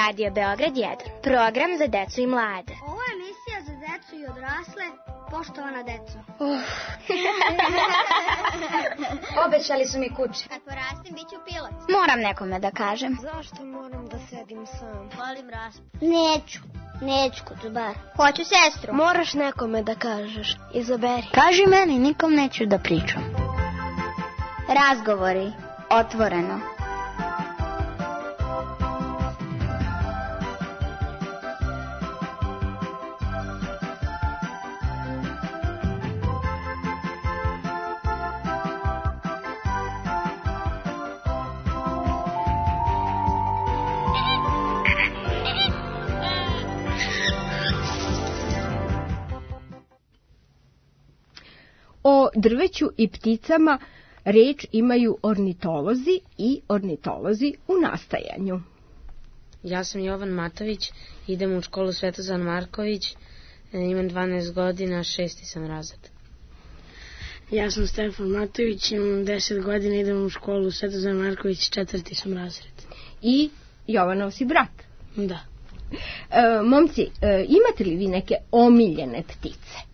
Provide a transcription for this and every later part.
Radio Beograd 1, program za decu i mlade. Ovo je emisija za decu i odrasle, poštovana deco. Obećali su mi kuće. Kad porastem, bit ću pilot. Moram nekome da kažem. Zašto moram da sedim sam? Volim raspad. Neću kocobar. Hoću sestru. Moraš nekome da kažeš. Izaberi. Kaži meni, nikom neću da pričam. Razgovori, otvoreno. O drveću i pticama reč imaju ornitolozi i ornitolozi u nastajanju. Ja sam Jovan Matović, idem u školu Svetozar Marković, imam 12 godina, 6. sam razred. Ja sam Stefan Matović, imam 10 godina, idem u školu Svetozar Marković, 4. sam razred. I Jovanov si brat. Da. Momci, imate li vi neke omiljene ptice?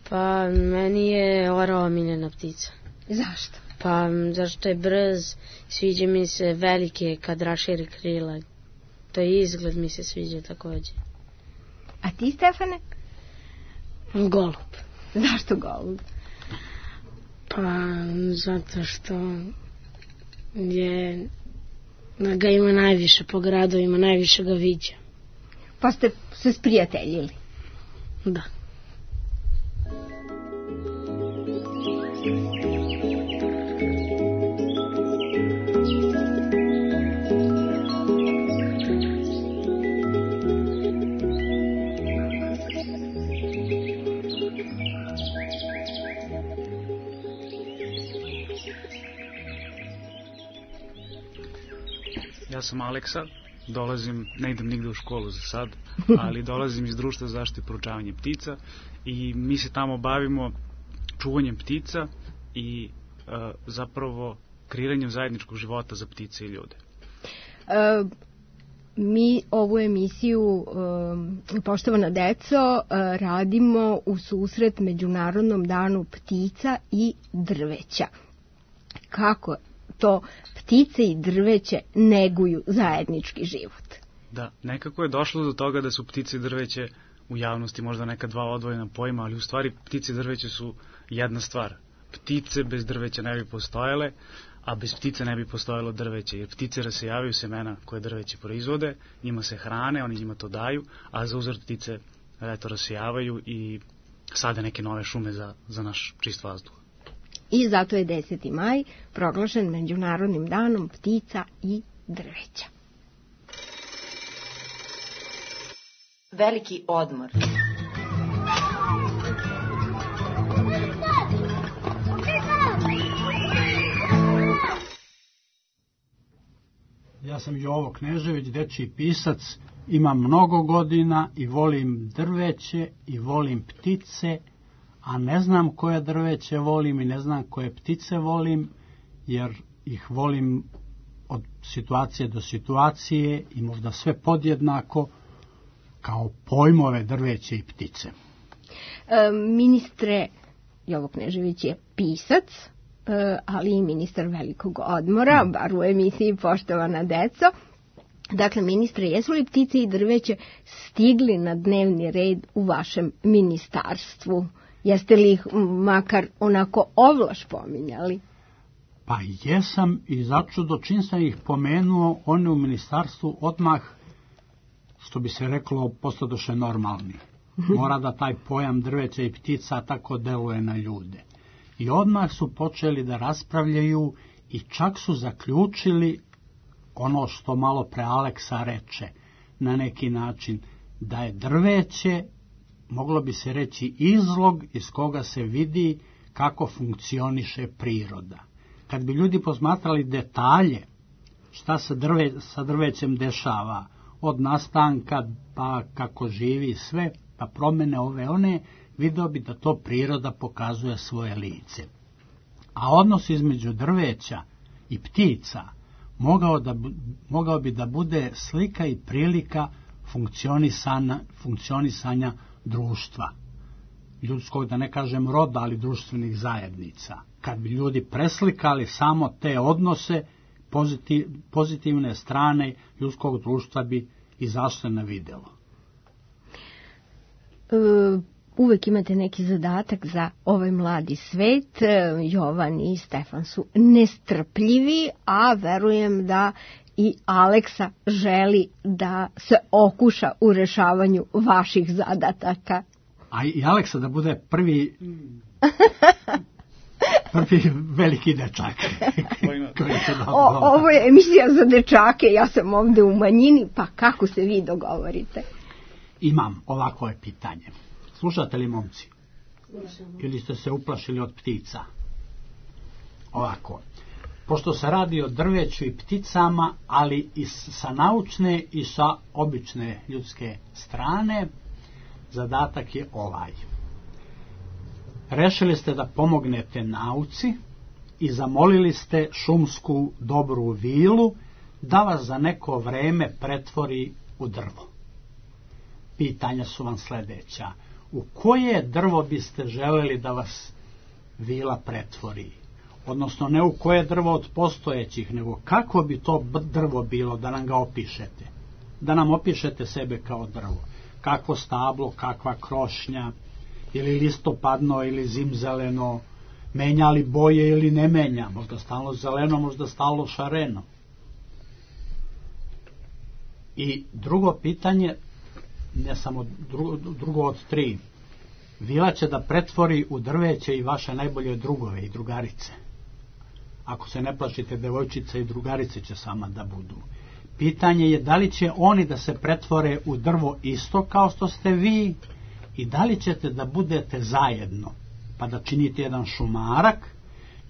Pa meni je orao omiljena ptica. Zašto? Pa zašto je brz, sviđa mi se velike kad raširi krila. To je izgled mi se sviđa također. A ti, Stefane? Golub. Zašto golub? Pa zato što ga ima najviše po gradovima, najviše ga viđa. Pa ste se sprijateljili? Da. Ja sam Aleksa, ne idem nigde u školu za sad, ali dolazim iz Društva za zaštitu i proučavanje ptica i mi se tamo bavimo čuvanjem ptica i zapravo kreiranjem zajedničkog života za ptice i ljude. Mi ovu emisiju, poštovana deco, radimo u susret Međunarodnom danu ptica i drveća. Kako to ptice i drveće neguju zajednički život? Da, nekako je došlo do toga da su ptice i drveće u javnosti možda neka dva odvojena pojma, ali u stvari ptice i drveće su jedna stvar. Ptice bez drveća ne bi postojale, a bez ptice ne bi postojalo drveće, jer ptice rasejavaju semena koje drveće proizvode, njima se hrane, oni njima to daju, a za uzvrat ptice rasejavaju i sade neke nove šume za naš čist vazduh. I zato je 10. maj proglašen Međunarodnim danom ptica i drveća. Veliki odmor. Ja sam Jovo Knežević, dečiji pisac, imam mnogo godina i volim drveće i volim ptice, a ne znam koje drveće volim i ne znam koje ptice volim, jer ih volim od situacije do situacije i možda sve podjednako kao pojmove drveće i ptice. Ministre, Jovo Knežević je pisac, ali i ministar velikog odmora, bar u emisiji Poštovana deco. Dakle, ministre, jesu li ptice i drveće stigli na dnevni red u vašem ministarstvu? Jeste li ih makar onako ovlaš pominjali? Pa jesam i začudo čim sam ih pomenuo, one u ministarstvu odmah, što bi se reklo, postadoše normalni. Mora da taj pojam drveća i ptica tako deluje na ljude. I odmah su počeli da raspravljaju i čak su zaključili ono što malo pre Aleksa reče, na neki način, da je drveće, moglo bi se reći, izlog iz koga se vidi kako funkcioniše priroda. Kad bi ljudi posmatrali detalje, šta se sa drvećem dešava, od nastanka pa kako živi sve, pa promene ove one, video bi da to priroda pokazuje svoje lice. A odnos između drveća i ptica mogao bi da bude slika i prilika funkcionisanja društva, ljudskog, da ne kažem roda, ali društvenih zajednica. Kad bi ljudi preslikali samo te odnose, pozitivne strane ljudskog društva bi izašle na videlo. Uvek imate neki zadatak za ovaj mladi svet. Jovan i Stefan su nestrpljivi, a verujem da i Aleksa želi da se okuša u rešavanju vaših zadataka. A i Aleksa da bude prvi veliki dečak. Ovo je emisija za dečake, ja sam ovde u manjini, pa kako se vi dogovorite? Imam, ovako je pitanje. Slušate li, momci? Ili ste se uplašili od ptica? Ovako. Pošto se radi o drveću i pticama, ali i sa naučne i sa obične ljudske strane, zadatak je ovaj. Rešili ste da pomognete nauci i zamolili ste šumsku dobru vilu da vas za neko vreme pretvori u drvo. Pitanja su vam sledeća. U koje drvo biste želeli da vas vila pretvori? Odnosno, ne u koje drvo od postojećih, nego kako bi to drvo bilo, da nam ga opišete. Da nam opišete sebe kao drvo. Kakvo stablo, kakva krošnja, ili listopadno, ili zimzeleno, menja li boje ili ne menja, možda stalno zeleno, možda stalno šareno. I drugo pitanje, ne samo drugo od 3, vila će da pretvori u drveće i vaše najbolje drugove i drugarice. Ako se ne plašite, devojčice i drugarice će sama da budu. Pitanje je da li će oni da se pretvore u drvo isto kao što ste vi i da li ćete da budete zajedno, pa da činite jedan šumarak,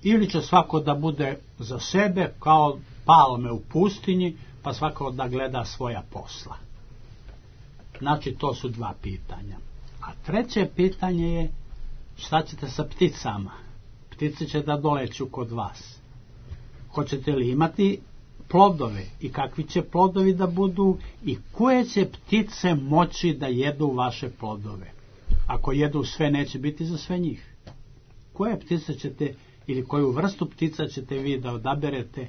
ili će svako da bude za sebe kao palme u pustinji, pa svako da gleda svoja posla. Znači, to su 2 pitanja. A treće pitanje je šta ćete sa pticama? Ptice će da doleću kod vas. Hoćete li imati plodove i kakvi će plodovi da budu i koje će ptice moći da jedu vaše plodove? Ako jedu sve, neće biti za sve njih. Koje ptice ćete ili koju vrstu ptica ćete vi da odaberete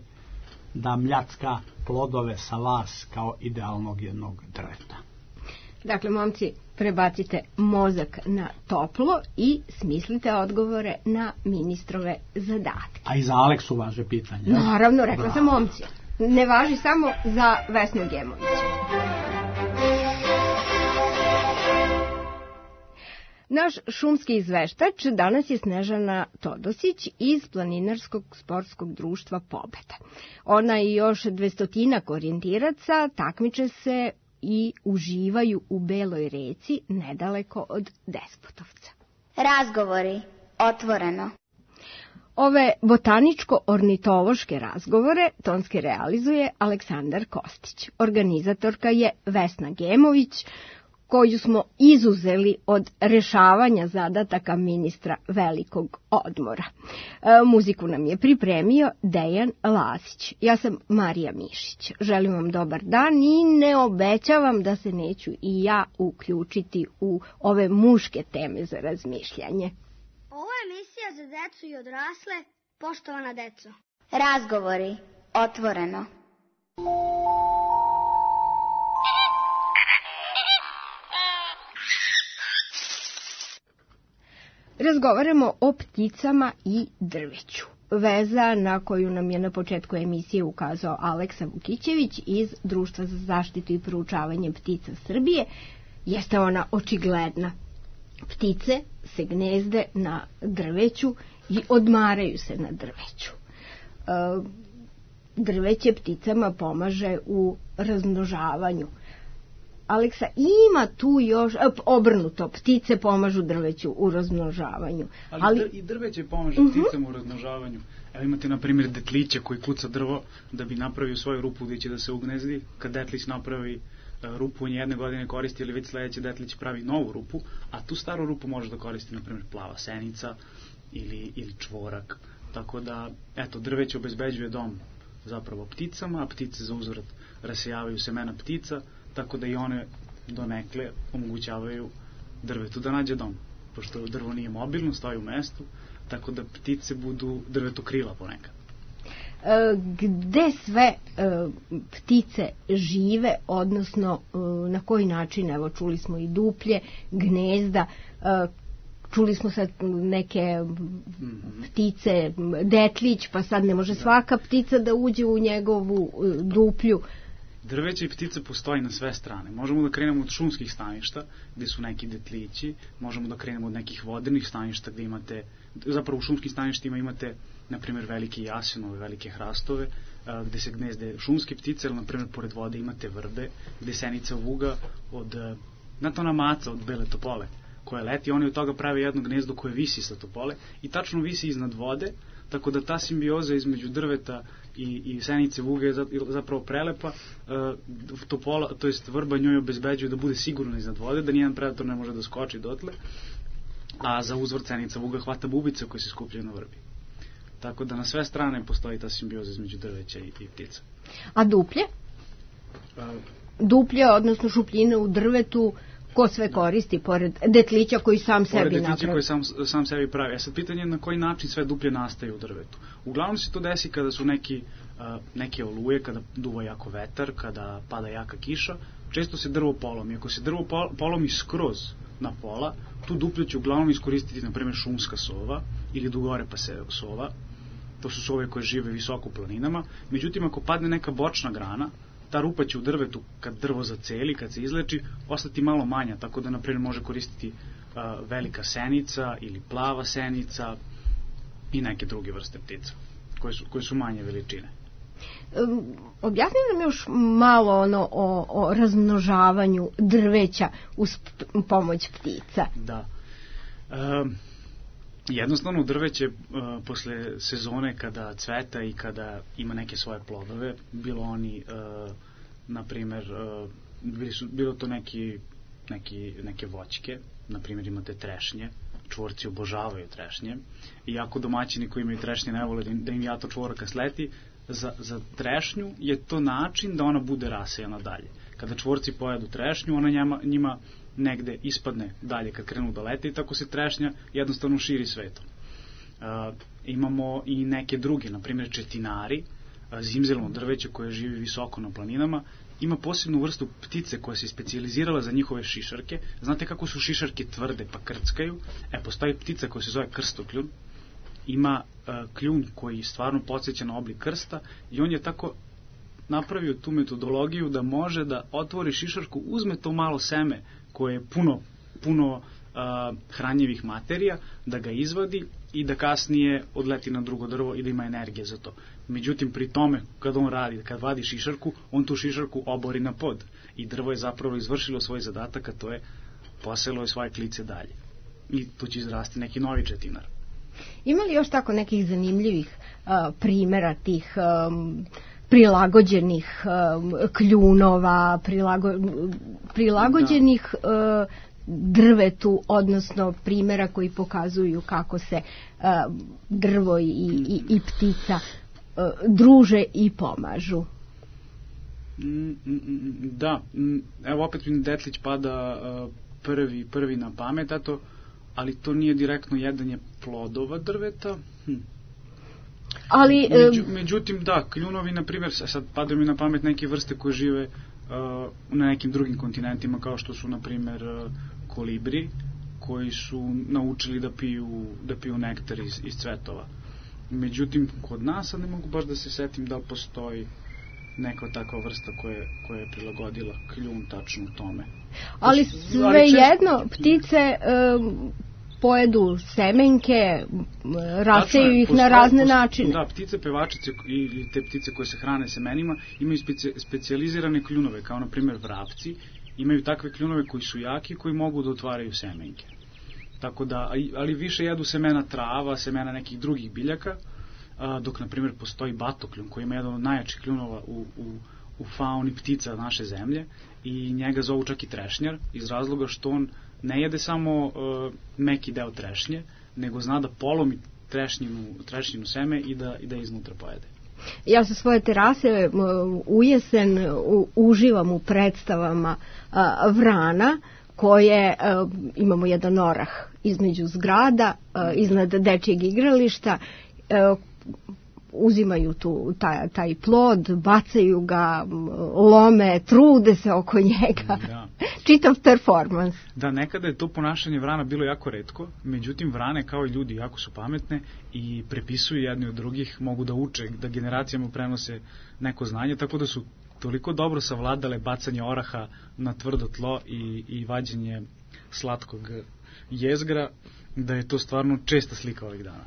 da mljacka plodove sa vas kao idealnog jednog drveta? Dakle, momci, prebacite mozak na toplo i smislite odgovore na ministrove zadatke. A i za Aleksu važe pitanje. Naravno, rekla sam momci. Ne važi samo za Vesnu Gemović. Naš šumski izveštač danas je Snežana Todosić iz Planinarskog sportskog društva Pobeda. Ona i još 200 orijentiraca takmiče se i uživaju u Beloj reci nedaleko od Despotovca. Razgovori. Otvoreno. Ove botaničko-ornitološke razgovore tonski realizuje Aleksandar Kostić. Organizatorka je Vesna Gemović, koju smo izuzeli od rešavanja zadataka ministra velikog odmora. Muziku nam je pripremio Dejan Lazić. Ja sam Marija Mišić. Želim vam dobar dan i ne obećavam da se neću i ja uključiti u ove muške teme za razmišljanje. Ovo je emisija za decu i odrasle, poštovana deco. Razgovori. Otvoreno. Razgovaramo o pticama i drveću. Veza na koju nam je na početku emisije ukazao Aleksa Vukićević iz Društva za zaštitu i proučavanje ptica Srbije jeste ona očigledna. Ptice se gnezde na drveću i odmaraju se na drveću. Drveće pticama pomaže u razmnožavanju. Aleksa, ima tu još obrnuto, ptice pomažu drveću u razmnožavanju. Ali i drveće pomaže pticama u razmnožavanju. Evo imate, na primjer, detlića koji kuca drvo da bi napravio svoju rupu gdje će da se ugnezdi. Kad detlić napravi rupu, on jedne godine koristi, ili već sledeće detlić pravi novu rupu, a tu staru rupu može da koristi, na primjer, plava senica ili čvorak. Tako da, eto, drveće obezbeđuje dom zapravo pticama, a ptice za uzvrat rasijavaju semena ptica, tako da i one donekle omogućavaju drvetu da nađe dom, pošto drvo nije mobilno, stoji u mestu, tako da ptice budu drvetu krila ponekad. Gde sve ptice žive, odnosno na koji način, evo čuli smo i duplje, gnezda, čuli smo sad neke ptice, detlić, pa sad ne može svaka ptica da uđe u njegovu duplju. Drveće i ptice postoji na sve strane. Možemo da krenemo od šumskih staništa, gde su neki detlići, možemo da krenemo od nekih vodenih staništa, gde imate, zapravo u šumskim staništima imate, na primjer, velike jasenove, velike hrastove, gde se gnezde šumske ptice, ali, na primjer, pored vode imate vrbe, gde senica vuga od, znate ona maca od bele topole, koja leti, oni od toga prave jedno gnezdo koje visi sa topole i tačno visi iznad vode, tako da ta simbioza između drveta i senice vuge je zapravo prelepa. Topola, to jest vrba njoj obezbeđuje da bude sigurno iznad vode, da nijedan predator ne može da skoči dotle, a za uzvrt senica vuga hvata bubice koje se skupljaju na vrbi. Tako da na sve strane postoji ta simbioza između drveća i ptica. A duplje? Duplje, odnosno šupljine u drvetu, ko sve koristi, pored detlića koji sam sebi napravi? Pored detlića koji sam sebi pravi. A sad pitanje je na koji način sve duplje nastaje u drvetu. Uglavnom se to desi kada su neke oluje, kada duva jako vetar, kada pada jaka kiša, često se drvo polomi. Ako se drvo polomi skroz na pola, tu duplje će uglavnom iskoristiti, na primjer, šumska sova ili dugorepa sova. To su sove koje žive visoko u planinama. Međutim, ako padne neka bočna grana, ta rupa će u drvetu, kad drvo zaceli, kad se izleči, ostati malo manja, tako da, na primjer, može koristiti velika senica ili plava senica i neke druge vrste ptica, koje su manje veličine. Objasni nam još malo o razmnožavanju drveća uz pomoć ptica. Da. Jednostavno drveće posle sezone kada cveta i kada ima neke svoje plodove, bilo oni, na primjer, bilo to neke voćke, na primjer imate trešnje, čvorci obožavaju trešnje, iako domaćini koji imaju trešnje ne vole da im jato čvoraka sleti, za trešnju je to način da ona bude rasejana dalje. Kada čvorci pojedu trešnju, ona njima negde ispadne dalje kad krenu da lete i tako se trešnja jednostavno širi svetom. Imamo i neke druge, na primjer četinari, zimzelno drveće koje živi visoko na planinama, ima posebnu vrstu ptice koja se specijalizirala za njihove šišarke. Znate kako su šišarke tvrde pa krckaju? Postoji ptica koja se zove krstokljun, ima kljun koji stvarno podsjeća na oblik krsta i on je tako napravio tu metodologiju da može da otvori šišarku, uzme to malo seme koje je puno hranjivih materija, da ga izvadi i da kasnije odleti na drugo drvo i da ima energije za to. Međutim, pri tome, kad vadi šišarku, on tu šišarku obori na pod i drvo je zapravo izvršilo svoj zadatak, a to je poselo je svoje klice dalje. I tu će izrasti neki novi četinar. Ima li još tako nekih zanimljivih primjera tih prilagođenih kljunova, prilagođenih drvetu, odnosno primjera koji pokazuju kako se drvo i ptica druže i pomažu? Da, evo opet mi detlić pada prvi na pamet, ali to nije direktno jedanje plodova drveta. Ali, međutim, da, kljunovi, na primjer, sad padaju mi na pamet neke vrste koje žive na nekim drugim kontinentima, kao što su, na primjer, kolibri, koji su naučili da piju nektar iz cvetova. Međutim, kod nas, sad ne mogu baš da se setim da li postoji neka takva vrsta koja je prilagodila kljun tačno u tome. Ali svejedno, ptice pojedu semenke, raseju ih na razne načine. Da, ptice pevačice i te ptice koje se hrane semenima imaju specijalizirane kljunove, kao na primjer vrapci, imaju takve kljunove koji su jaki, koji mogu da otvaraju semenke. Tako da, ali više jedu semena trava, semena nekih drugih biljaka, dok na primjer postoji batokljun koji ima jedan od najjačih kljunova u fauni ptica naše zemlje i njega zovu čak i trešnjar, iz razloga što on ne jede samo meki deo trešnje, nego zna da polomi trešnjinu seme i da iznutra pojede. Ja sa svoje terase u jesen uživam u predstavama vrana koje imamo jedan orah između zgrada, iznad dečijeg igrališta, uzimaju taj plod, bacaju ga, lome, trude se oko njega. Da. Čitav performans. Da, nekada je to ponašanje vrana bilo jako retko, međutim vrane kao i ljudi jako su pametne i prepisuju jedni od drugih, mogu da uče, da generacijama prenose neko znanje, tako da su toliko dobro savladale bacanje oraha na tvrdo tlo i vađenje slatkog jezgra, da je to stvarno česta slika ovih dana.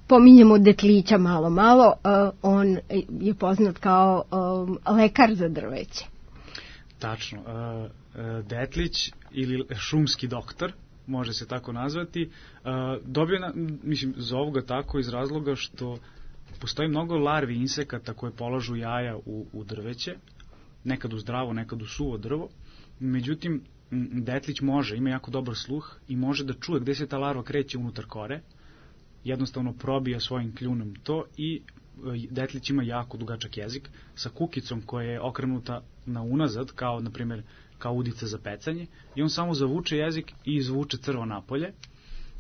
Pominjemo Detlića malo, on je poznat kao lekar za drveće. Tačno. Detlić ili šumski doktor, može se tako nazvati, zovu ga tako iz razloga što postoji mnogo larvi insekata koje polažu jaja u drveće, nekad u zdravo, nekad u suvo drvo. Međutim, Detlić ima jako dobar sluh i može da čuje gde se ta larva kreće unutar kore, jednostavno probija svojim kljunom to i Detlić ima jako dugačak jezik sa kukicom koja je okrenuta na unazad, kao na primjer kao udica za pecanje, i on samo zavuče jezik i izvuče crvo napolje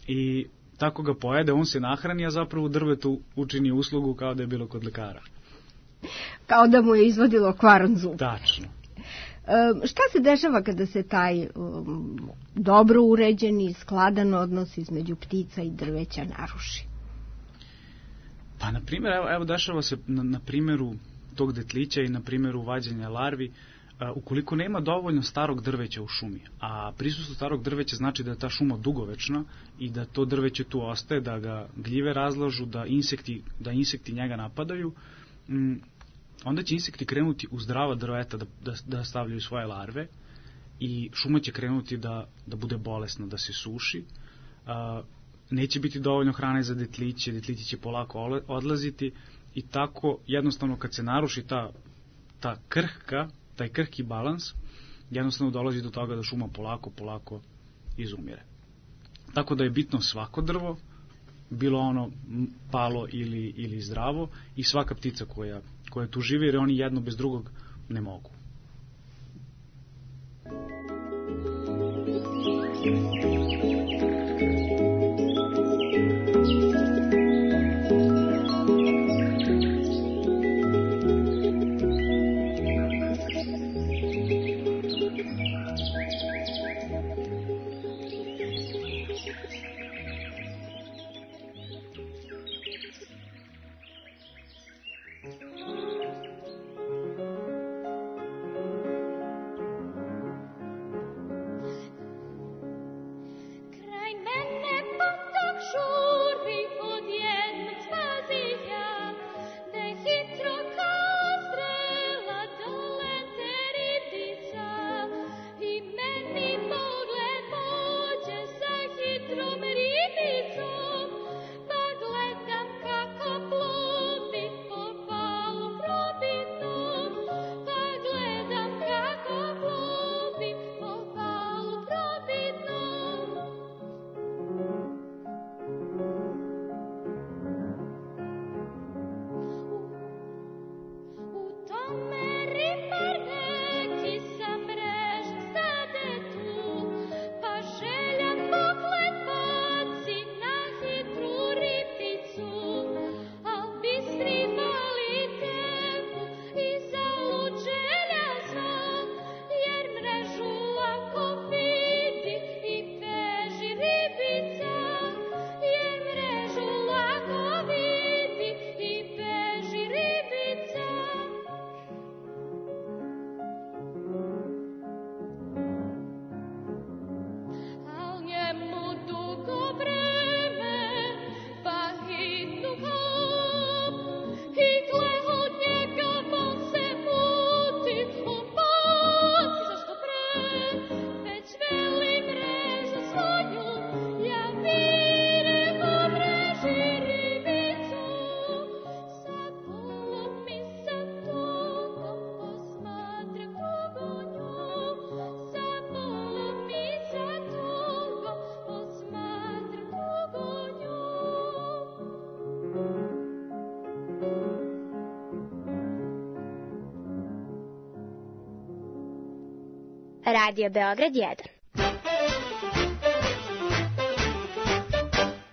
i tako ga pojede, on se nahrani, a zapravo drvetu učini uslugu kao da je bilo kod lekara. Kao da mu je izvadilo kvaran zub. Tačno. Šta se dešava kada se taj dobro uređeni, skladan odnos između ptica i drveća naruši? Pa, na primjer, evo dešava se na primjeru tog Detlića i na primjeru vađenja larvi, ukoliko nema dovoljno starog drveća u šumi, a prisustvo starog drveća znači da je ta šuma dugovečna i da to drveće tu ostaje, da ga gljive razlažu, da insekti njega napadaju, onda će insekti krenuti u zdrava drveta da stavljaju svoje larve i šuma će krenuti da bude bolesna, da se suši. Neće biti dovoljno hrane za detliće, detlići će polako odlaziti i tako jednostavno kad se naruši taj krhki balans, jednostavno dolazi do toga da šuma polako izumire. Tako da je bitno svako drvo, bilo ono palo ili zdravo, i svaka ptica koja tu živi, jer oni jedno bez drugog ne mogu. Radio Beograd 1.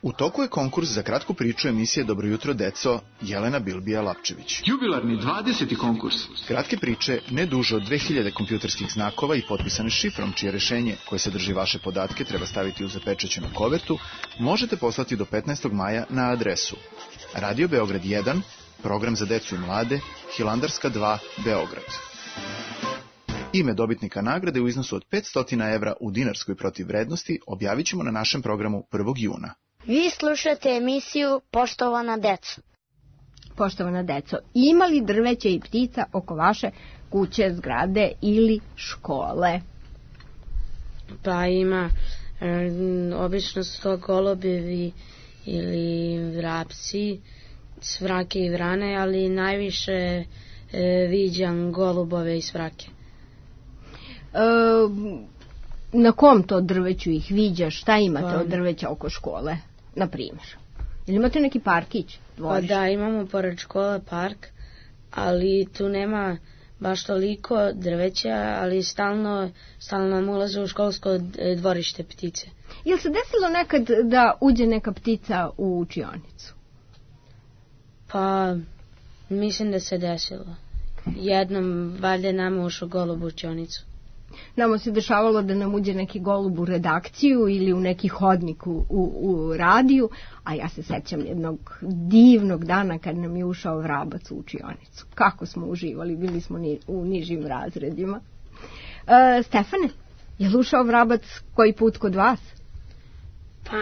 U toku je konkurs za kratku priču emisije Dobro jutro, deco, Jelena Bilbija-Lapčević. Jubilarni 20. konkurs. Kratke priče, ne duže od 2000 kompjuterskih znakova i potpisane šifrom, čije rešenje, koje sadrži vaše podatke, treba staviti u zapečaćenu kovertu, možete poslati do 15. maja na adresu Radio Beograd 1, program za decu i mlade, Hilandarska 2, Beograd. Ime dobitnika nagrade u iznosu od 500 evra u dinarskoj protivvrednosti objavit ćemo na našem programu 1. juna. Vi slušate emisiju Poštovana deco. Poštovana deco, ima li drveća i ptica oko vaše kuće, zgrade ili škole? Pa ima, obično su to golubevi ili vrapci, svrake i vrane, ali najviše viđam golubove i svrake. Na kom to drveću ih viđaš? Šta imate od drveća oko škole, na primjer? Ili imate neki parkić? Pa da, imamo pored škole park, ali tu nema baš toliko drveća, ali stalno nam ulaze u školsko dvorište ptice. Jel se desilo nekad da uđe neka ptica u učionicu? Pa, mislim da se desilo. Jednom, valjda nama ušao golub u učionicu. Nama se dešavalo da nam uđe neki golub u redakciju ili u neki hodnik u radiju, a ja se sećam jednog divnog dana kad nam je ušao vrabac u učionicu. Kako smo uživali, bili smo u nižim razredima. Stefane, je li ušao vrabac koji put kod vas? Pa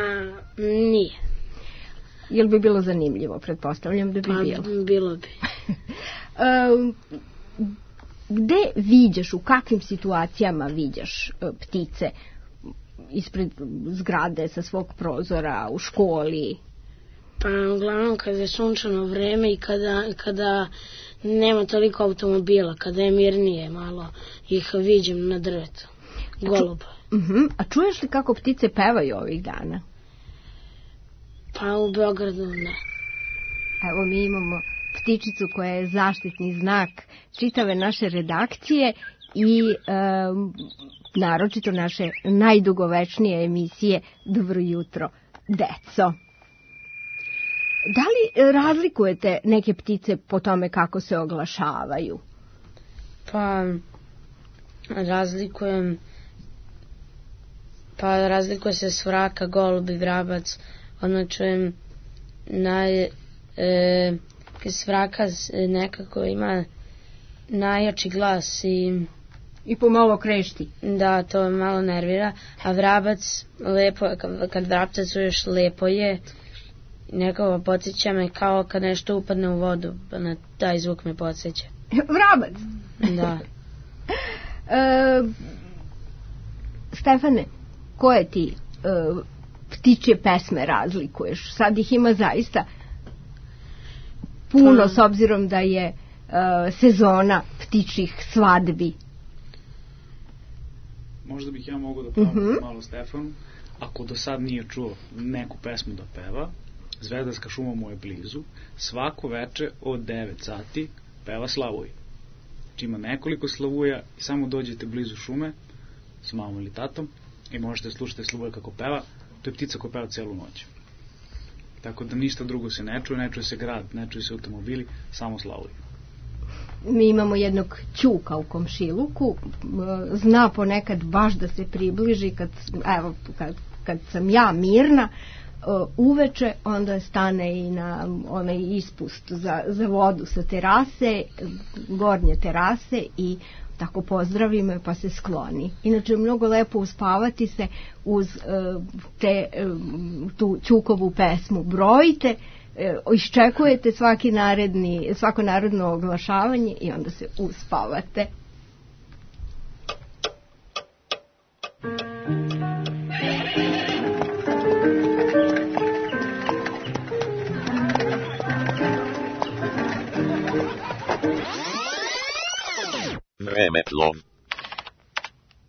nije. Jel bi bilo zanimljivo, pretpostavljam da bi bilo? Pa bilo bi. Gde viđaš, u kakvim situacijama viđaš ptice? Ispred zgrade, sa svog prozora, u školi? Pa uglavnom kada je sunčano vreme i kada nema toliko automobila, kada je mirnije malo, ih viđem na drvetu. Goluba. A čuješ li kako ptice pevaju ovih dana? Pa u Beogradu ne. Evo mi imamo ptičicu koja je zaštitni znak čitave naše redakcije i naročito naše najdugovečnije emisije Dobro jutro, deco. Da li razlikujete neke ptice po tome kako se oglašavaju? Pa razlikuje se svraka, golub i vrabac. Ono čujem svraka nekako ima najjači glas i pomalo krešti. Da, to me malo nervira. A vrabac, lepo, kad vrapca čuješ, lepo je. Nekako podsjeća me kao kad nešto upadne u vodu. Na taj zvuk me podsjeća. Vrabac? Da. Stefane, koje ti ptičje pesme razlikuješ? Sad ih ima zaista puno, s obzirom da je sezona ptičjih svadbi. Možda bih ja mogao da pravim malo Stefanu. Ako do sad nije čuo neku pesmu da peva, Zvezdarska šuma mu je blizu, svako veče od 9 sati peva Slavuj. Znači ima nekoliko slavuja i samo dođete blizu šume s mamom ili tatom i možete slušati Slavuja kako peva. To je ptica koja peva celu noć. Tako da ništa drugo se ne čuje se grad, ne čuje se automobili, samo Slavuj. Mi imamo jednog ćuka u komšiluku, zna ponekad baš da se približi kad sam ja mirna uveče, onda stane i na onaj ispust za vodu sa terase, gornje terase i tako pozdravi me pa se skloni. Inače je mnogo lepo uspavati se uz tu ćukovu pesmu. Brojite, iščekujete svako narodno oglašavanje i onda se uspavate. Vremeplov.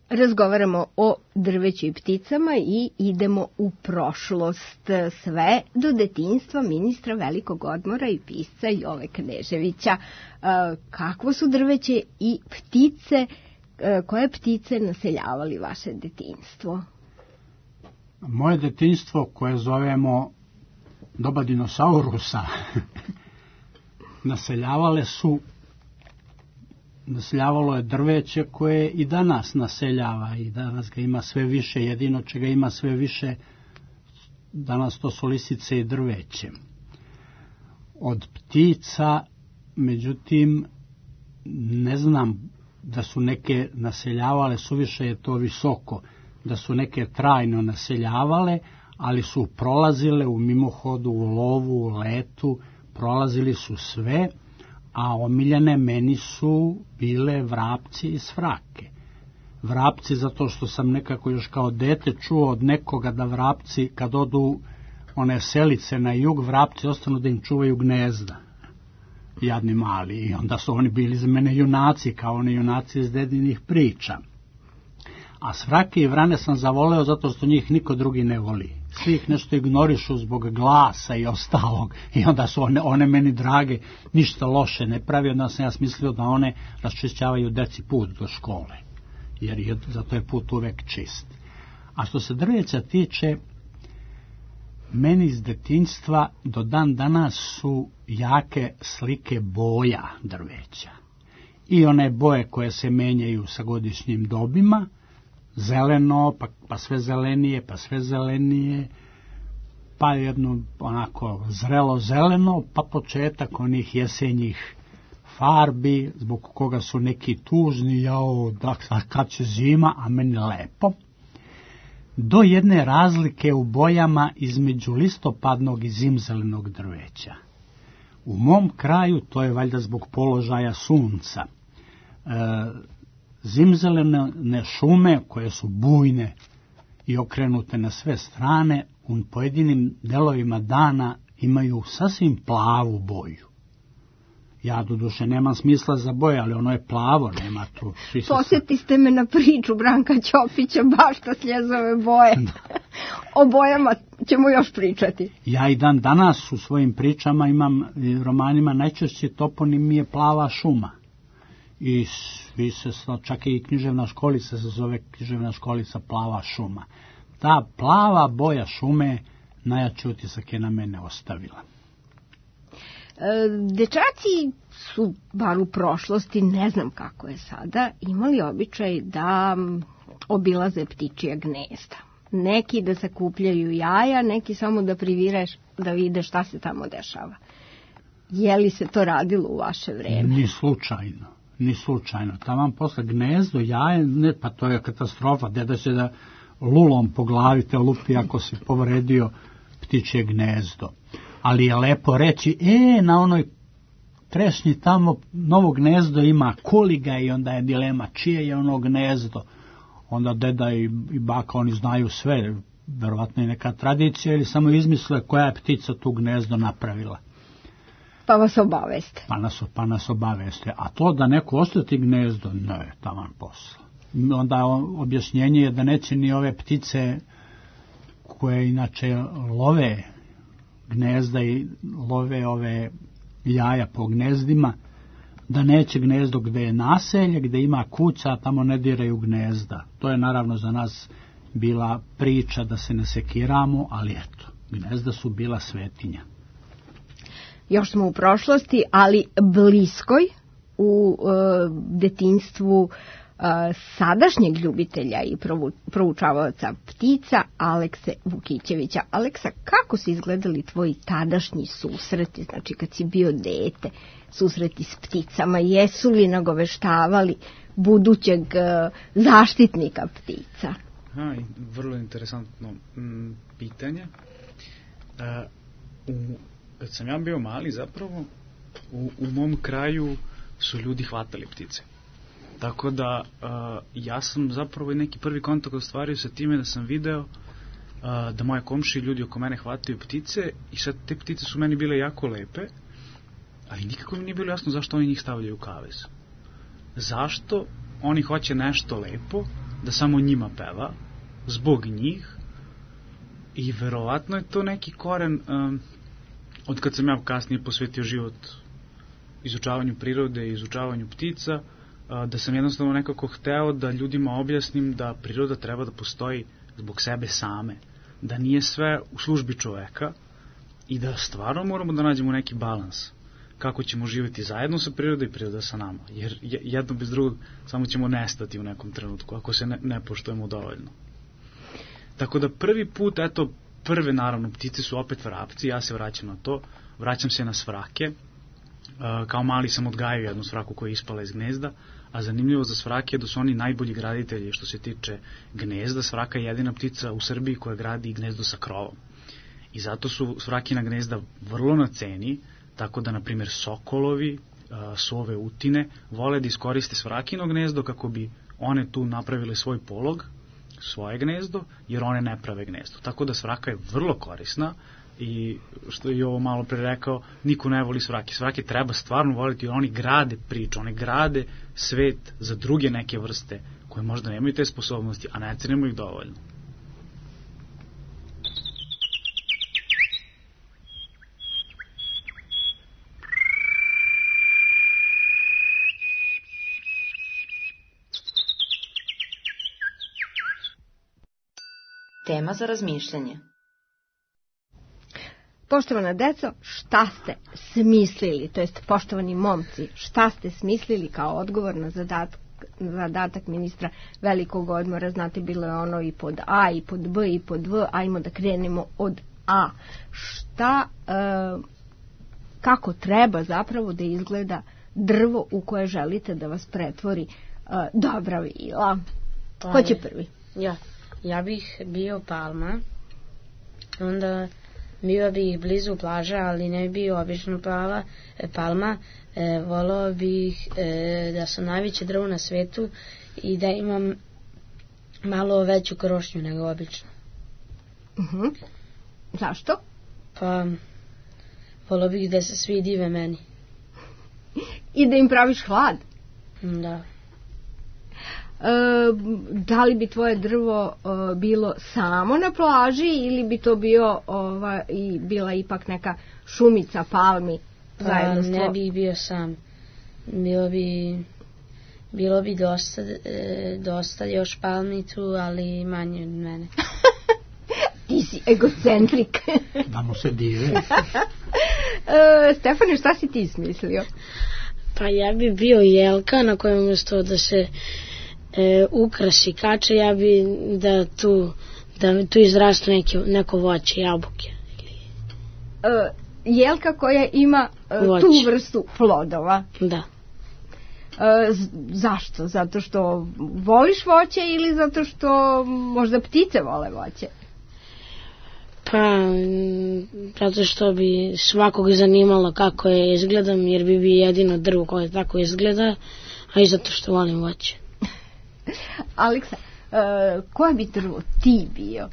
Razgovaramo o drveću i pticama i idemo u prošlost, sve do detinjstva ministra Velikog Odmora i pisca Jove Kneževića. Kakvo su drveće i ptice koje ptice naseljavali vaše detinjstvo? Moje detinjstvo, koje zovemo doba dinosaurusa, naseljavalo je drveće koje i danas naseljava i danas ga ima sve više, jedino čega ima sve više danas to su lisice i drveće. Od ptica, međutim, ne znam da su neke naseljavale, suviše je to visoko, da su neke trajno naseljavale, ali su prolazile u mimohodu, u lovu, u letu, prolazili su sve, a omiljene meni su bile vrapci i svrake. Vrapci zato što sam nekako još kao dete čuo od nekoga da vrapci kad odu one selice na jug, vrapci ostanu da im čuvaju gnezda. Jadni mali. I onda su oni bili za mene junaci, kao oni junaci iz dedinih priča. A svrake i vrane sam zavoleo zato što njih niko drugi ne voli. Svi ih nešto ignorišu zbog glasa i ostalog. I onda su one meni drage, ništa loše ne pravi. Onda sam ja smislio da one raščišćavaju deci put do škole. Jer zato je put uvek čist. A što se drveća tiče, meni iz detinjstva do dan danas su jake slike boja drveća. I one boje koje se menjaju sa godišnjim dobima, zeleno, pa sve zelenije, pa sve zelenije, pa jedno onako zrelo zeleno, pa početak onih jesenjih farbi, zbog koga su neki tužni, jao, kad će zima, a meni lepo, do jedne razlike u bojama između listopadnog i zimzelenog drveća. U mom kraju, to je valjda zbog položaja sunca, zimzelene šume koje su bujne i okrenute na sve strane, u pojedinim delovima dana imaju sasvim plavu boju. Ja doduše nemam smisla za boje, ali ono je plavo, nema tu. Posjetiste me na priču Branka Ćopića, bašta sljezove boje. O bojama ćemo još pričati. Ja i dan danas u svojim pričama imam, romanima, najčešće toponim mi je plava šuma. I svi se, čak i književna školica se zove književna školica plava šuma. Ta plava boja šume najjači utisak je na mene ostavila. Dečaci su, bar u prošlosti, ne znam kako je sada, imali običaj da obilaze ptičija gnezda. Neki da sakupljaju jaja, neki samo da privireš, da vide šta se tamo dešava. Je li se to radilo u vaše vreme? Ni slučajno. Taman posle gnezdo, jaje, ne, pa to je katastrofa, deda će da lulom po glavi te lupi ako si povredio ptičje gnezdo. Ali je lepo reći, na onoj trešnji tamo novo gnezdo ima, koli ga, i onda je dilema čije je ono gnezdo. Onda deda i baka, oni znaju sve, verovatno je neka tradicija ili samo izmisle koja je ptica tu gnezdo napravila. Pa vas obaveste. Pa nas obaveste. A to da neko ostati gnezdo, ne, taman posla. Onda objašnjenje je da neće ni ove ptice koje inače love gnezda i love ove jaja po gnezdima, da neće gnezdo gde je naselje, gde ima kuća, tamo ne diraju gnezda. To je naravno za nas bila priča da se ne sekiramo, ali eto, gnezda su bila svetinja. Još smo u prošlosti, ali bliskoj, u detinjstvu sadašnjeg ljubitelja i proučavaoca ptica Alekse Vukićevića. Aleksa, kako su izgledali tvoji tadašnji susreti, znači kad si bio dete, susreti s pticama, jesu li nagoveštavali budućeg zaštitnika ptica? Vrlo interesantno pitanje. Kad sam ja bio mali, zapravo, u mom kraju su ljudi hvatali ptice. Tako da ja sam zapravo neki prvi kontakt ostvario sa time da sam video da moje komšije, ljudi oko mene hvataju ptice, i sad te ptice su meni bile jako lepe, ali nikako mi nije bilo jasno zašto oni njih stavljaju u kavez. Zašto oni hoće nešto lepo da samo njima peva, zbog njih, i verovatno je to neki koren od kad sam ja kasnije posvetio život izučavanju prirode i izučavanju ptica, da sam jednostavno nekako hteo da ljudima objasnim da priroda treba da postoji zbog sebe same, da nije sve u službi čoveka i da stvarno moramo da nađemo neki balans kako ćemo živjeti zajedno sa prirodom i priroda sa nama, jer jedno bez drugog samo ćemo nestati u nekom trenutku ako se ne poštujemo dovoljno. Tako da prvi put, prve naravno ptice su opet vrapci, ja se vraćam na to, vraćam se na svrake. Kao mali sam odgajao jednu svraku koja je ispala iz gnezda, a zanimljivo za svrake je da su oni najbolji graditelji što se tiče gnezda. Svraka je jedina ptica u Srbiji koja gradi gnezdo sa krovom. I zato su svrakina gnezda vrlo na ceni, tako da, na primjer, sokolovi, sove, utine, vole da iskoriste svrakino gnezdo kako bi one tu napravile svoj polog, svoje gnezdo, jer one ne prave gnezdo. Tako da svraka je vrlo korisna i, što je ovo malo pre rekao, niko ne voli svrake. Svrake treba stvarno voliti, jer oni grade priču, oni grade svet za druge neke vrste koje možda nemaju te sposobnosti, a ne cenimo ih dovoljno. Tema za razmišljanje. Poštovana deco, šta ste smislili, to jest poštovani momci, šta ste smislili kao odgovor na zadatak ministra velikog odmora? Znate, bilo je ono i pod A, i pod B, i pod V, ajmo da krenemo od A. Kako treba zapravo da izgleda drvo u koje želite da vas pretvori dobra vila? Ko će prvi? Ja bih bio palma, onda bio bih blizu plaža, ali ne bi bio obično palma. Volao bih da sam najveće drvo na svetu i da imam malo veću krošnju nego obično. Zašto? Pa, volao bih da se svi dive meni. I da im praviš hlad? Da. Da li bi tvoje drvo bilo samo na plaži ili bi to bila ipak neka šumica palmi? Ne bi bio sam. Bilo bi dosta još palmi tu, ali manje od mene. Ti si egocentrik. Da mu se dive. Stefane, šta si ti smislio? Pa ja bi bio jelka na kojem umjesto da se ukrasi kače, ja bi da tu izrastu neko voće, jabuke. Jelka koja ima tu vrstu plodova. Da. Zašto? Zato što voliš voće ili zato što možda ptice vole voće? Pa, zato što bi svakog zanimalo kako je izgledam, jer bi jedino drvo koje tako izgleda, a i zato što volim voće. Aleksa, koje bi drvo ti bio?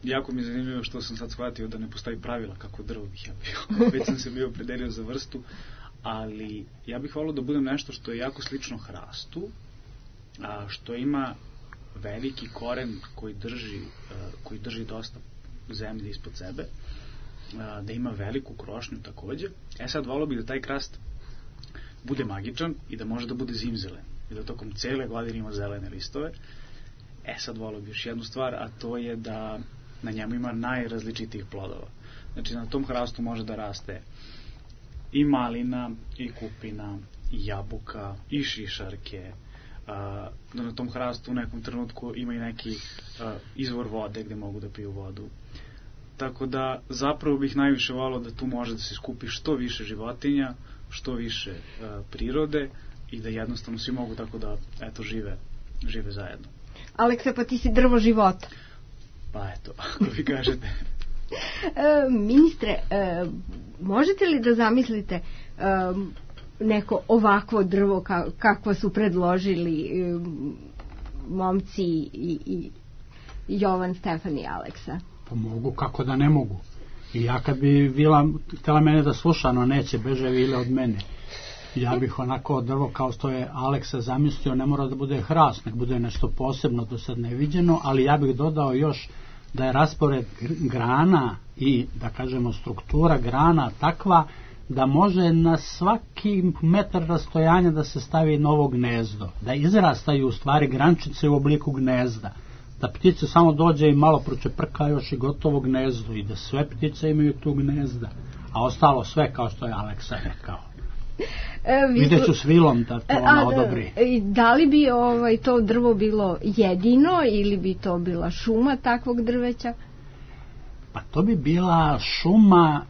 Jako mi je zanimljivo što sam sad shvatio da ne postoji pravila kako drvo bih ja bio. Već sam se bio opredelio za vrstu, ali ja bih volio da budem nešto što je jako slično hrastu, a što ima veliki koren koji drži dosta zemlje ispod sebe, da ima veliku krošnju takođe. Sad volio bih da taj hrast bude magičan i da može da bude zimzelen i da tokom cele godine ima zelene listove. Sad volio bih još jednu stvar, a to je da na njemu ima najrazličitijih plodova. Znači, na tom hrastu može da raste i malina, i kupina, i jabuka, i šišarke, da na tom hrastu u nekom trenutku ima i neki izvor vode gde mogu da piju vodu. Tako da zapravo bih najviše volio da tu može da se skupi što više životinja, što više prirode i da jednostavno svi mogu tako da žive zajedno. Aleksa, pa ti si drvo života. Pa eto, ako vi kažete. Ministre, možete li da zamislite neko ovakvo drvo kakvo su predložili momci i Jovan, Stefan i Aleksa? Pa mogu, kako da ne mogu. I ja kad bi Vila htjela mene da sluša, no neće, beže Vile od mene. Ja bih onako drvo kao što je Aleksa zamislio, ne mora da bude hrast, nek bude nešto posebno do sad neviđeno, ali ja bih dodao još da je raspored grana i, da kažemo, struktura grana takva da može na svaki metar rastojanja da se stavi novo gnezdo, da izrastaju u stvari grančice u obliku gnezda, da ptice samo dođe i malo pročeprka još i gotovo gnezdo i da sve ptice imaju tu gnezda, a ostalo sve kao što je Aleksa rekao. Vidjet ću s vilom da to ona odobri. Da li bi to drvo bilo jedino ili bi to bila šuma takvog drveća? Pa to bi bila šuma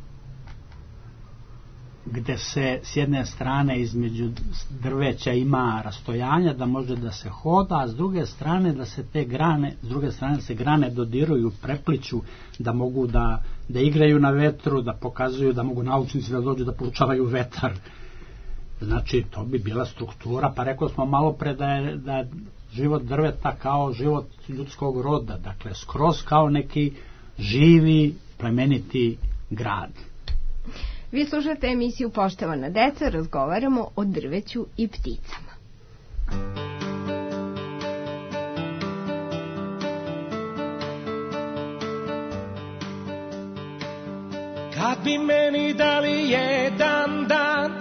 gde se s jedne strane između drveća ima rastojanja da može da se hoda, a s druge strane da se te grane, s druge strane se grane dodiruju, prepliću, da mogu da igraju na vetru, da pokazuju da mogu naučnici da dođu da poučavaju vetar. Znači, to bi bila struktura, pa rekao smo malo pre da je život drveta kao život ljudskog roda, dakle, skroz kao neki živi, plemeniti grad. Vi slušate emisiju Poštovana deca, razgovaramo o drveću i pticama. Kad bi meni dali jedan dan,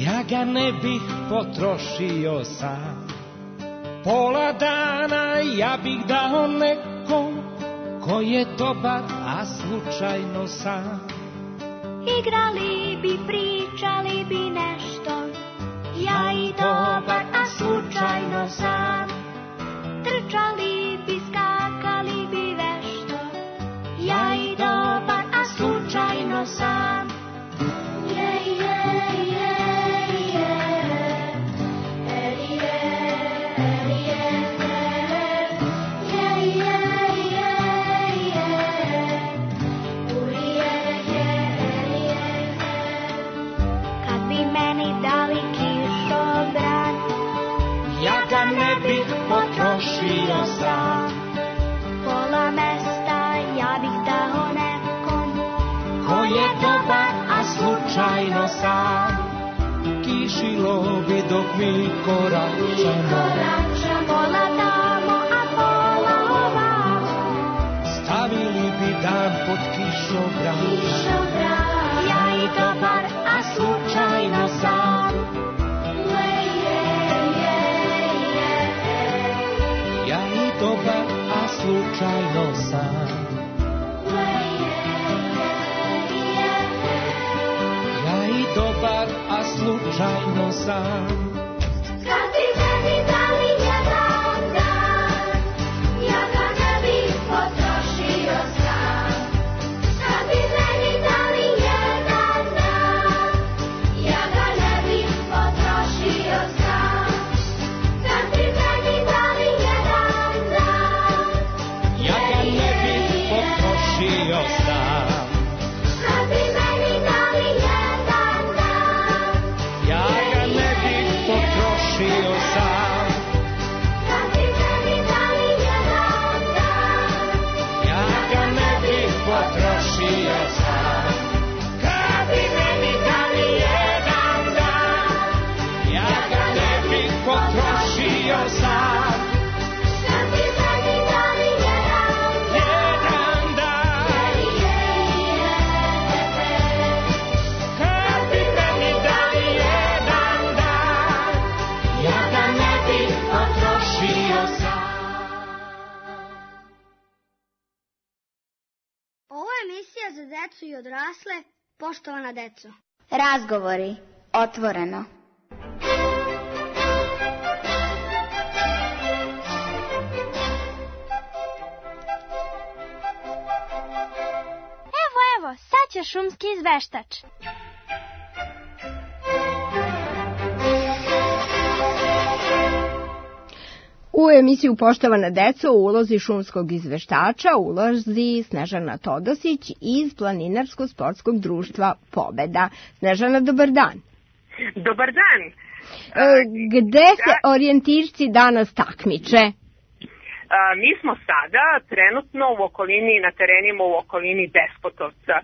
ja ga ne bih potrošio sam. Pola dana ja bih dao nekom ko je dobar, a slučajno sam. Igrali bi, pričali bi nešto, ja i dobar, a slučajno sam. Trčali bi, skakali bi vešto, ja i dobar, a slučajno sam. Potrošio sam. Pola mesta ja bih dao nekom ko je dobar, a slučajno sam. Kišilo bi dok mi koračamo, pola tamo, a pola ovamo. Stavili bi dan pod kišobran, ja i dobar, a slučajno sam. Dobar, a slučajno sam. Ja i dobar, a slučajno sam. Kad bi meni dali jedan dan, ja ga ne bih potrošio sam. Kad bi meni dali jedan dan, ja ga ne bih potrošio sam. Kad bi meni dali jedan dan, ja ga ne bih potrošio sam. kad bi meni dali jedan dan, Ja ga ne bih potrošio sam. kad bi meni dali jedan dan, Ja ga ne bih potrošio sam. Kad bi meni dali jedan dan, ja ga ne bih potrošio sam. kad bi meni dali jedan dan, kad bi meni dali jedan dan, ja ga ne bih potrošio sam. Ovo je emisija za decu i odrasle, poštovana deco. Razgovori, otvoreno. Evo, sad će šumski izveštač. U emisiju Poštovana deco u ulozi šumskog izveštača ulazi Snežana Todosić iz Planinarsko-sportskog društva Pobeda. Snežana, dobar dan. Dobar dan. Gde se orijentirci danas takmiče? Mi smo sada trenutno u okolini, na terenima u okolini Despotovca.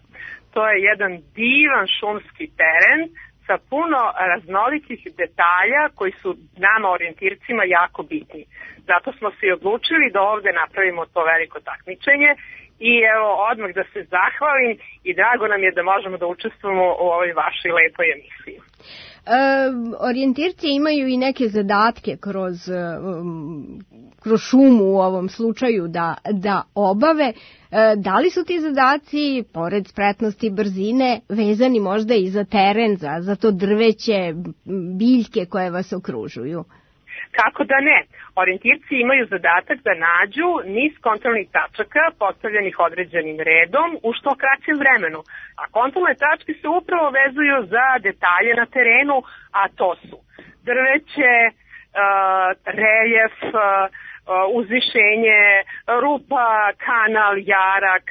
To je jedan divan šumski teren sa puno raznolikih detalja koji su nama orijentircima jako bitni. Zato smo se i odlučili da ovde napravimo to veliko takmičenje I evo, odmah da se zahvalim i drago nam je da možemo da učestvujemo u ovoj vašoj lepoj emisiji. Orijentirci imaju i neke zadatke kroz šumu u ovom slučaju da obave. Da li su ti zadaci, pored spretnosti i brzine, vezani možda i za teren, za to drveće, biljke koje vas okružuju? Kako da ne? Orijentirci imaju zadatak da nađu niz kontrolnih tačaka postavljenih određenim redom u što kraćem vremenu. A kontrolne tačke se upravo vezuju za detalje na terenu, a to su drveće, reljef, uzvišenje, rupa, kanal, jarak,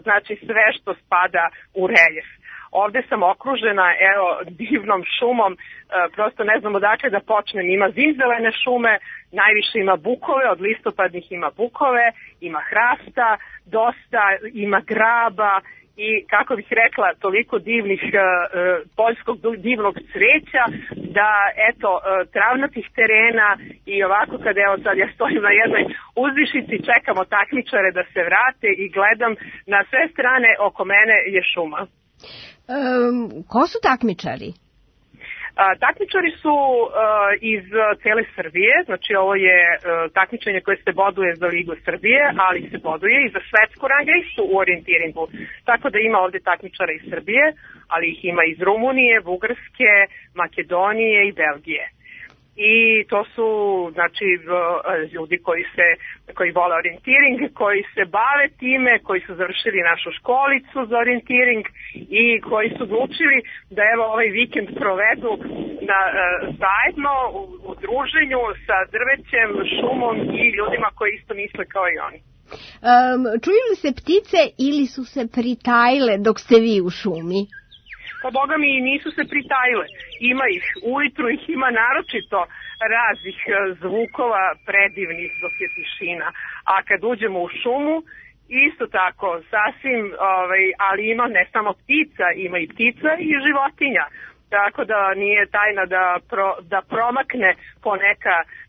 znači sve što spada u reljef. Ovde sam okružena, evo, divnom šumom, prosto ne znam odakle da počnem. Ima zimzelene šume, najviše ima bukove, od listopadnih ima bukove, ima hrasta, dosta, ima graba i, kako bih rekla, toliko divnih poljskog divnog cveća da, eto, travnatih terena i ovako kad, evo sad ja stojim na jednoj uzvišici, čekamo takmičare da se vrate i gledam na sve strane oko mene je šuma. Ko su takmičari? Takmičari su iz cele Srbije, znači ovo je takmičenje koje se boduje za Ligu Srbije, ali se boduje i za svetsku rang listu u orijentiringu. Tako da ima ovde takmičara iz Srbije, ali ih ima iz Rumunije, Bugarske, Makedonije i Belgije. I to su, znači, ljudi koji vole orijentiring, koji se bave time, koji su završili našu školicu za orijentiring i koji su odlučili da evo ovaj vikend provedu zajedno u druženju sa drvećem, šumom i ljudima koji isto misle kao i oni. Čuju li se ptice ili su se pritajile dok ste vi u šumi? Pa boga mi nisu se pritajile. Ima ih, ujutru ih ima naročito raznih zvukova predivnih dok je tišina. A kad uđemo u šumu, isto tako, sasvim, ali ima ne samo ptica, ima i ptica i životinja. Tako da nije tajna da promakne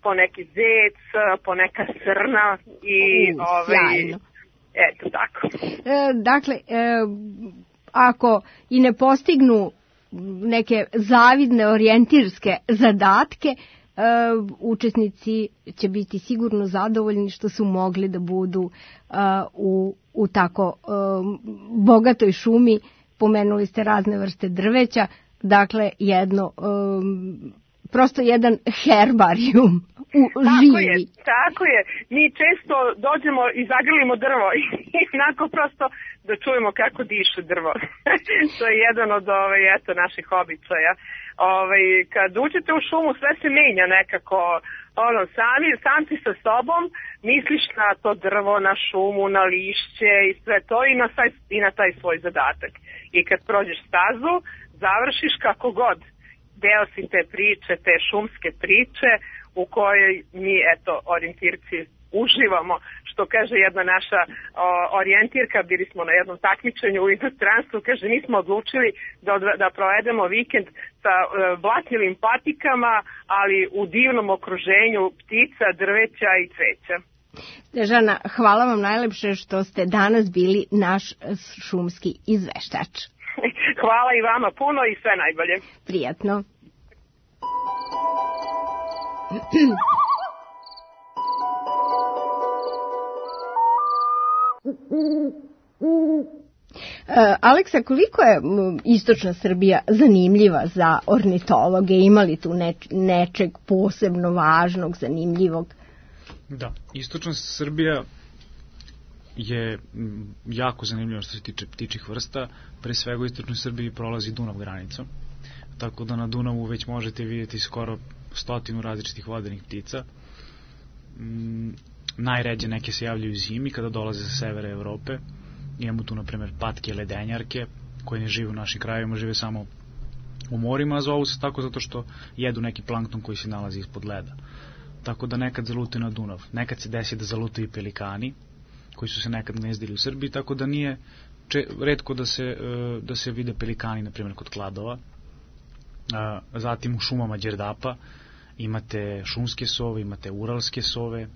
po neki zec, po neka srna i sjajno. Eto tako. Dakle, ako i ne postignu neke zavidne orijentirske zadatke, učesnici će biti sigurno zadovoljni što su mogli da budu u tako bogatoj šumi. Pomenuli ste razne vrste drveća, dakle prosto jedan herbarijum živi. Tako je. Mi često dođemo i zagrlimo drvo i onako prosto da čujemo kako diše drvo. To je jedan od naših običaja. Kad uđete u šumu sve se menja nekako, sam ti sa sobom misliš na to drvo, na šumu, na lišće i sve to i na taj svoj zadatak. I kad prođeš stazu, završiš kako god. Deo si te priče, te šumske priče u kojoj mi, orijentirci, uživamo. Što kaže jedna naša orijentirka, bili smo na jednom takmičenju u inostranstvu, kaže mi smo odlučili da provedemo vikend sa blatnjivim patikama, ali u divnom okruženju ptica, drveća i cveća. Snežana, hvala vam najlepše što ste danas bili naš šumski izveštač. Hvala i vama puno i sve najbolje. Prijatno. Aleksa, koliko je istočna Srbija zanimljiva za ornitologe? Ima li tu nečeg posebno važnog, zanimljivog? Da, istočna Srbija je jako zanimljiva što se tiče ptičih vrsta. Pre svega u istočnoj Srbiji prolazi Dunav granicom, tako da na Dunavu već možete vidjeti skoro 100 različitih vodenih ptica. Najređe neke se javljaju zimi kada dolaze sa severa Evrope. Imamo tu, na primjer, patke ledenjarke, koje ne žive u našim krajevima, žive samo u morima, a zovu se tako zato što jedu neki plankton koji se nalazi ispod leda. Tako da nekad zalutaju na Dunav. Nekad se desi da zalutaju i pelikani, koji su se nekad gnezdili u Srbiji, tako da nije retko da se vide pelikani, na primjer, kod Kladova. Zatim u šumama Đerdapa imate šumske sove, imate uralske sove,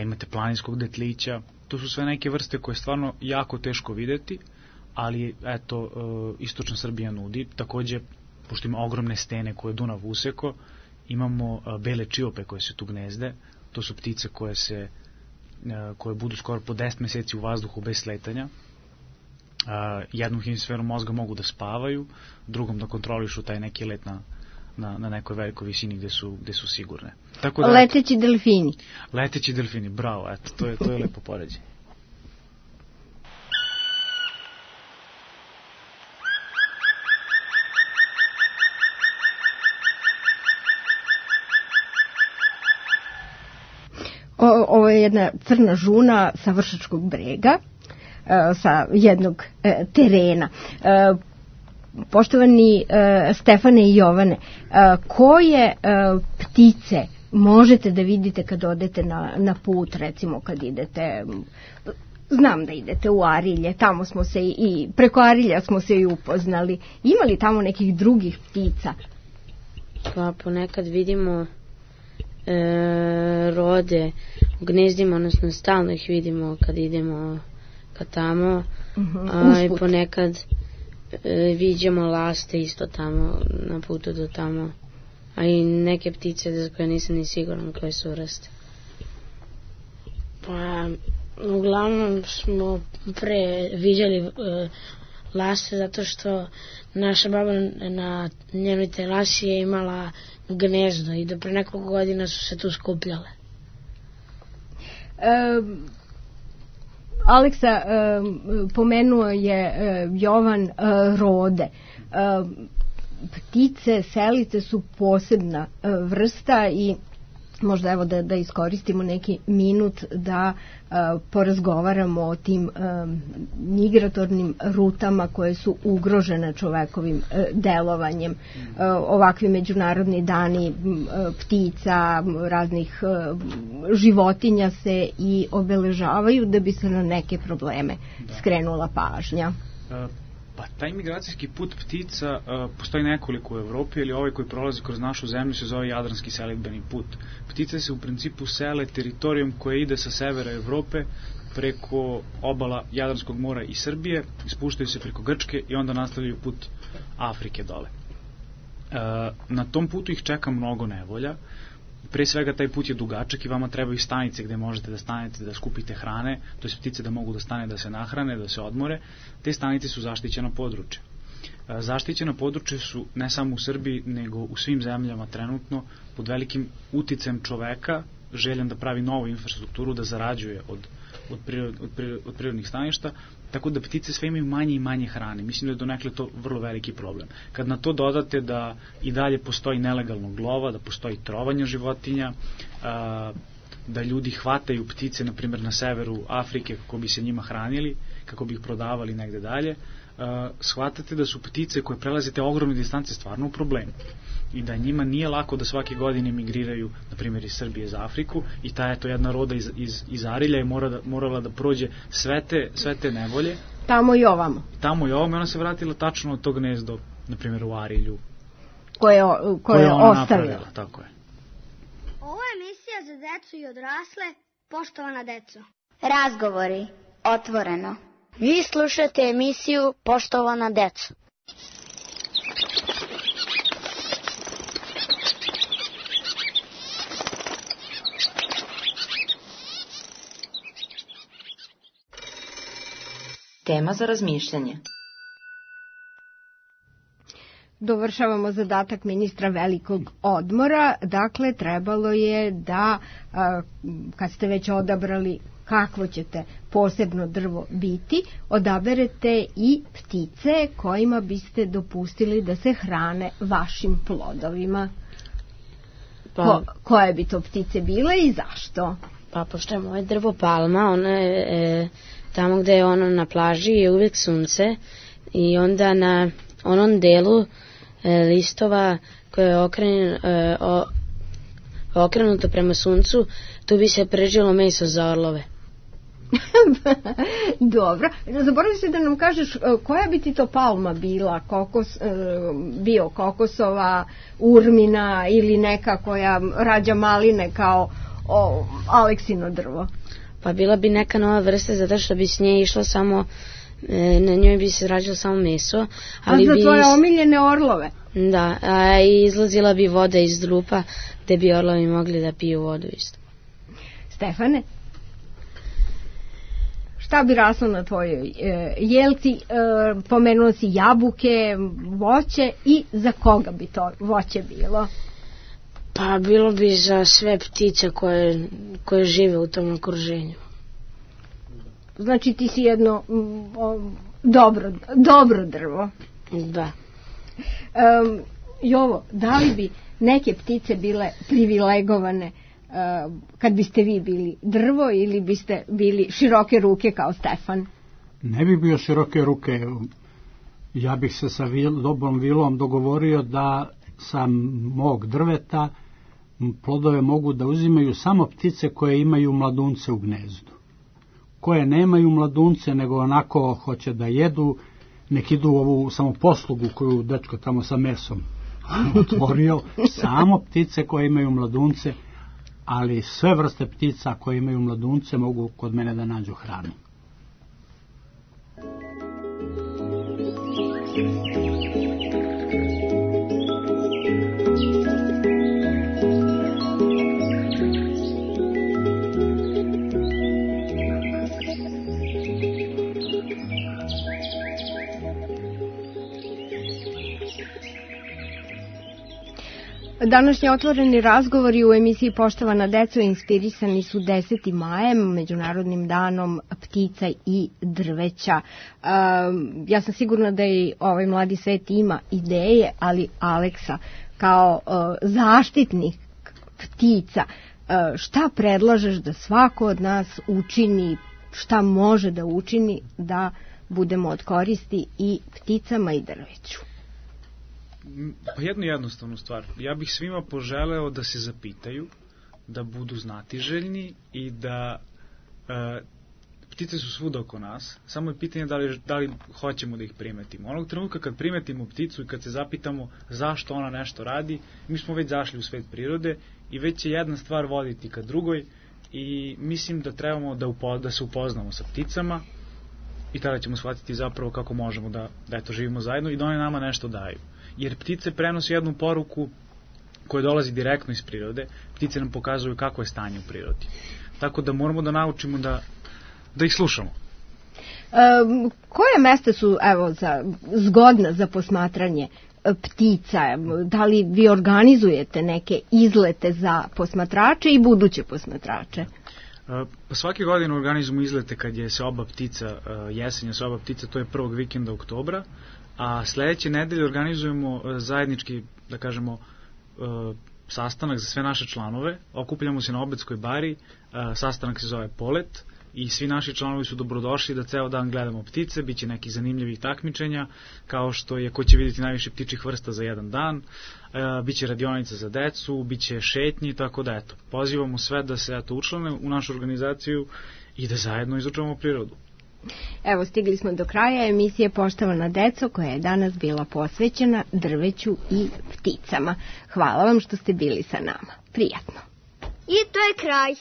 imate planinskog detlića. To su sve neke vrste koje je stvarno jako teško videti, ali eto, istočna Srbija nudi. Takođe, pošto ima ogromne stene koje Dunav useko, imamo bele čiope koje se tu gnezde. To su ptice koje budu skoro po 10 meseci u vazduhu bez sletanja. Jednom hemisferom mozga mogu da spavaju, drugom da kontrolišu taj neki let na nekoj velikoj visini gde su sigurne. Tako da, leteći delfini. Leteći delfini, bravo, eto, to je lepo poređenje. Ovo je jedna crna žuna sa Vršačkog brega, sa jednog terena. Poštovani Stefane i Jovane, koje ptice možete da vidite kad odete na put, recimo kad idete, znam da idete u Arilje, tamo smo se i preko Arilja smo se i upoznali. Ima li tamo nekih drugih ptica? Pa ponekad vidimo rode u gnezdima, odnosno stalno ih vidimo kad idemo ka tamo, a i ponekad viđamo laste isto tamo na putu do tamo, a i neke ptice za koje nisam ni siguran koje su vrste. Pa uglavnom smo pre viđali laste zato što naša baba na njenoj terasi je imala gnezdo i do pre nekog godina su se tu skupljale. Aleksa, pomenuo je Jovan rode. Ptice, selice su posebna vrsta i možda evo da iskoristimo neki minut da porazgovaramo o tim migratornim rutama koje su ugrožene čovekovim delovanjem. Ovakvi međunarodni dani ptica, raznih životinja se i obeležavaju da bi se na neke probleme skrenula pažnja. Pa taj migracijski put ptica postoji nekoliko u Evropi, ali ovaj koji prolazi kroz našu zemlju se zove Jadranski selidbeni put. Ptice se u principu sele teritorijom koje ide sa severa Evrope preko obala Jadranskog mora i Srbije, ispuštaju se preko Grčke i onda nastavljaju put Afrike dole. Na tom putu ih čeka mnogo nevolja. Pre svega taj put je dugačak i vama trebaju stanice gde možete da stanete, da skupite hrane, to je ptice da mogu da stane, da se nahrane, da se odmore. Te stanice su zaštićena područja. Zaštićena područja su ne samo u Srbiji, nego u svim zemljama trenutno pod velikim uticajem čoveka, željan da pravi novu infrastrukturu, da zarađuje od prirodnih staništa, tako da ptice sve imaju manje i manje hrane. Mislim da je donekle to vrlo veliki problem. Kad na to dodate da i dalje postoji nelegalnog lova, da postoji trovanje životinja, da ljudi hvataju ptice, na primjer na severu Afrike, kako bi se njima hranili, kako bi ih prodavali negde dalje, shvatate da su ptice koje prelaze te ogromne distance stvarno u problemu. I da njima nije lako da svake godine migriraju, na primjer iz Srbije za Afriku, i ta je to jedna roda iz Arilja je morala da prođe sve te nevolje. Tamo i ovamo. Tamo i ovamo i ona se vratila tačno od tog gnezdo, na primjer u Arilju. Koje je ostavila. Tako je. Ovo je emisija za decu i odrasle, poštovana deco. Razgovori, otvoreno. Vi slušate emisiju Poštovana deco. Tema za razmišljanje. Dovršavamo zadatak ministra velikog odmora, dakle trebalo je da, kad ste već odabrali kakvo ćete posebno drvo biti, odaberete i ptice kojima biste dopustili da se hrane vašim plodovima. Koje bi to ptice bile i zašto? Pa pošto je moje drvo palma, ono je tamo gde je ono na plaži je uvijek sunce i onda na onom delu listova koje je okrenuto prema suncu, tu bi se pržilo meso za orlove. Dobro. Zaboravio se da nam kažeš koja bi ti to palma bila, bio kokosova, urmina ili neka koja rađa maline kao Aleksino drvo? Pa bila bi neka nova vrsta, zato što bi s nje išlo samo, na njoj bi se rađalo samo meso. Ali za tvoje omiljene orlove? Da, a izlazila bi voda iz drupa, gde bi orlovi mogli da piju vodu isto. Stefane? Šta bi raslo na tvojoj jelci? Pomenuo si jabuke, voće i za koga bi to voće bilo? Pa bilo bi za sve ptice koje žive u tom okruženju. Znači ti si jedno dobro drvo. Da. Jovo, da li bi neke ptice bile privilegovane kad biste vi bili drvo ili biste bili široke ruke kao Stefan? Ne bi bio široke ruke. Ja bih se sa dobrom vilom dogovorio da sa mog drveta plodove mogu da uzimaju samo ptice koje imaju mladunce u gnezdu. Koje nemaju mladunce, nego onako hoće da jedu, nek idu ovu samoposlugu koju dečko tamo sa mesom otvorio, samo ptice koje imaju mladunce, ali sve vrste ptica koje imaju mladunce mogu kod mene da nađu hranu. Današnji otvoreni razgovori u emisiji Poštovana deco inspirisani su 10. majem, Međunarodnim danom ptica i drveća. Ja sam sigurna da i ovaj mladi svet ima ideje, ali Aleksa, kao zaštitnik ptica, šta predlažeš da svako od nas učini, šta može da učini da budemo od koristi i pticama i drveću? Pa jednu jednostavnu stvar. Ja bih svima poželeo da se zapitaju, da budu znatiželjni i da ptice su svuda oko nas, samo je pitanje da li hoćemo da ih primetimo. Onog trenutka kad primetimo pticu i kad se zapitamo zašto ona nešto radi, mi smo već zašli u svet prirode i već će jedna stvar voditi ka drugoj i mislim da trebamo da se upoznamo sa pticama i tada ćemo shvatiti zapravo kako možemo da eto živimo zajedno i da one nama nešto daju. Jer ptice prenose jednu poruku koja dolazi direktno iz prirode. Ptice nam pokazuju kako je stanje u prirodi. Tako da moramo da naučimo da ih slušamo. Koje mesta su zgodna za posmatranje ptica? Da li vi organizujete neke izlete za posmatrače i buduće posmatrače? Pa svake godine organizujemo izlete kad je seoba ptica, jesenja seoba ptica, to je prvog vikenda oktobra. A sledeće nedelje organizujemo zajednički, da kažemo, sastanak za sve naše članove. Okupljamo se na Obedskoj bari, sastanak se zove Polet i svi naši članovi su dobrodošli da ceo dan gledamo ptice, biće nekih zanimljivih takmičenja, kao što je ko će vidjeti najviše ptičih vrsta za jedan dan, biće radionica za decu, biće šetnji, tako da eto, pozivamo sve da se učlane u našu organizaciju i da zajedno izučavamo prirodu. Evo, stigli smo do kraja emisije Poštovana deco, koja je danas bila posvećena drveću i pticama. Hvala vam što ste bili sa nama. Prijatno. I to je kraj.